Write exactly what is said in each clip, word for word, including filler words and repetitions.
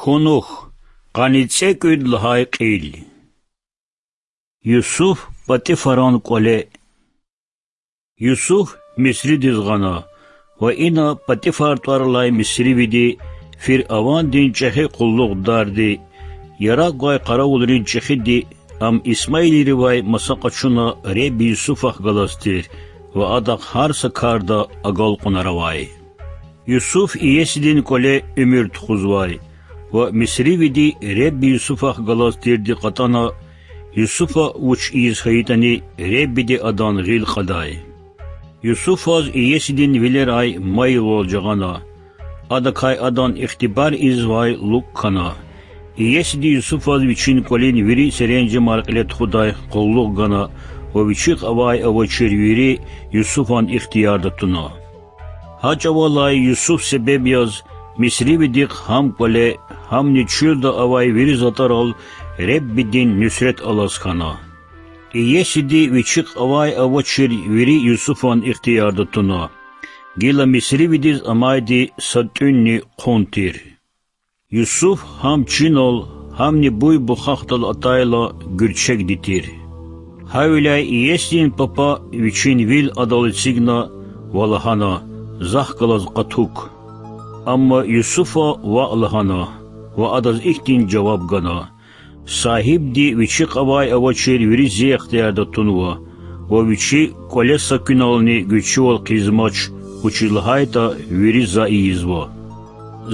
Кунух, къанни цӀекӀуьд лагьай кьил. Юсуф Патифаран кӀвале. Юсуф Мисридиз гъана, ва ина Патифар тӀвар алай мисривиди, фиръавандин чӀехи къуллугъдарди, яракь гвай къаравулрин чӀехиди, ам исмаилривай маса къачуна Ребби Юсуфахъ галаз тир ва адахъ гьар са карда агалкьунар авай. Юсуф иесидин кӀвале уьмуьр тухузвай ва мисривиди Ребби Юсуфахъ галаз тирди кьатӀана, Юсуфа вуч ийиз хьайитӀани, Реббиди адан гъил кьадай. Юсуфаз иесидин вилерай майилвал жагъана. Адакай адан ихтибар ийизвай лукӀ хьана. Иесиди Юсуфаз вичин кӀвалин вири серенжемар кьиле тухудай къуллугъ гана ва вичихъ авай-авачир вири Юсуфан ихтиярда туна. Гьа чӀавалай Юсуф себеб яз мисривидихъ гьам кӀвале, гьамни чуьлда авай вири затӀарал Реббидин нуьсрет алаз хьана. Иесиди вичихъ авай-авачир вири Юсуфан ихтиярда туна, гила мисривидиз амайди са тӀуьнни хъун тир. Юсуф гьам чинал, гьамни буй-бухахдал атайла, гуьрчегди тир. Гьавиляй иесидин папа вичин вил адал эцигна ва лагьана: Захъ галаз къатук. Амма Юсуфа ваъ лагьана ва адаз ихьтин жаваб гана: Сагьибди вичихъ авай-авачир вири зи ихтиярда тунва ва вичи кӀвале са куьнални гуьрчивал хъийизмач, вучиз лагьайтӀа вири за ийизва.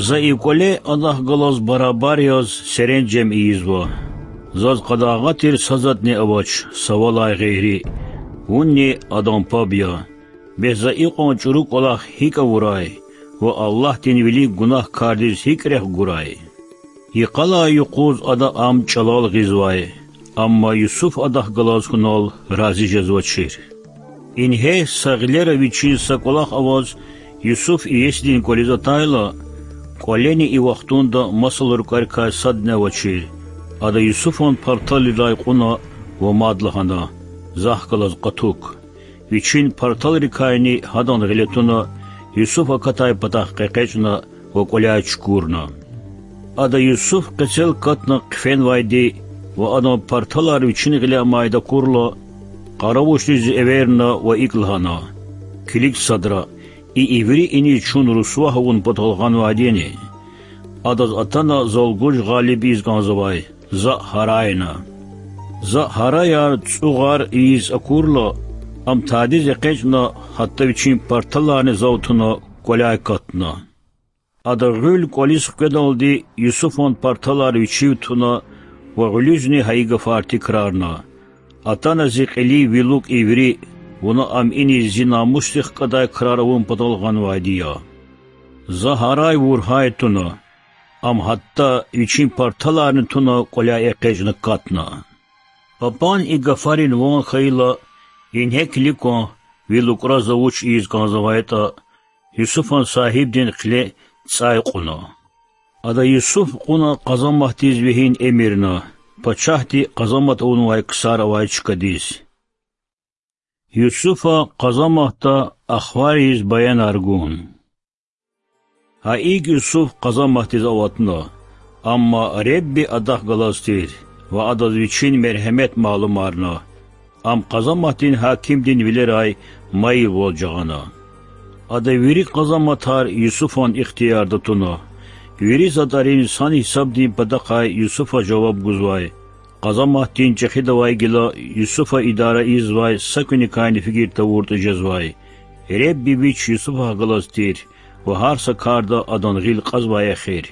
За и кӀвале адахъ галаз барабар яз серенжем ийизва. Заз къадагъа тир са затӀни авач, са валай гъейри. Вунни адан паб я. Бес за икьван чӀуру кӀвалах гьикӀ авурай ва Аллагьдин вилик гунагькардиз гьикӀ рехъ гурай? Йикъалай юкъуз ада ам чӀалал гъизвай, амма Юсуф адахъ галаз хьунал рази жезвачир. Ингье са гъилера вичин са кӀвалах аваз Юсуф иесидин кӀвализ атайла, кӀвалени и вахтунда масал рукварикай садни авачир. Ада Юсуфан парталрилай кьуна ва мад лагьана: Захъ галаз къатук. Вичин парталрикайни гьадан гъиле туна, Юсуф акатай патахъ къекъечӀна ва кӀваляй чукурна. Ада Юсуф къецел катна хъфенвайди ва адан парталар вичин гъиле амайди акурла, къаравулчидиз эверна ва икӀ лагьана: Килиг садра, и иври иниз чун русвагь авун патал гъанвайди яни? Адаз атана зал гуж гъалиб ийиз кӀанзавай, за гьарайна. За гьараяр, цӀугъар ийиз акурла, ам тадиз экъечӀна, гьатта вичин парталарни зав туна кӀваляй катна. Ада гъуьл кӀвализ хкведалди Юсуфан парталар вичив туна ва гъуьлуьзни гьа и гафар тикрарна: Атана зи кьилив ви лукӀ иври, вуна ам иниз зи намусдихъ кӀандай крар авун патал гъанвайди я. За гьарай-вургьай туна, ам гьатта вичин парталарни туна кӀваляй экъечӀна катна. Папан и гафарин ван хьайила, ингье килиг кван, ви лукӀра за вуч ийиз кӀанзавайтӀа, Юсуфан сагьибдин хъиле цӀай кьуна. Ада Юсуф кьуна къазаматдиз вегьин эмирна, пачагьди къазамат авунвай ксар авай чкадиз. Юсуфа къазаматда ахвар ийиз баянар гун. Гьа икӀ Юсуф къазаматдиз аватна, амма Ребби адахъ галаз тир ва адаз вичин мергьемет малумарна. Ам къазаматдин гьакимдин вилерай майилвал жагъана. Ада вири къазаматар Юсуфан ихтиярда туна. Вири затӀарин сан-гьисабдин патахъай Юсуфа жаваб гузвай. Къазаматдин чӀехидавай гила Юсуфа идара ийизвай са куьникайни фикир тавуртӀа жезвай. Ребби Вич Юсуфахъ галаз тир ва гьар са карда адан гъил кьазвай эхир.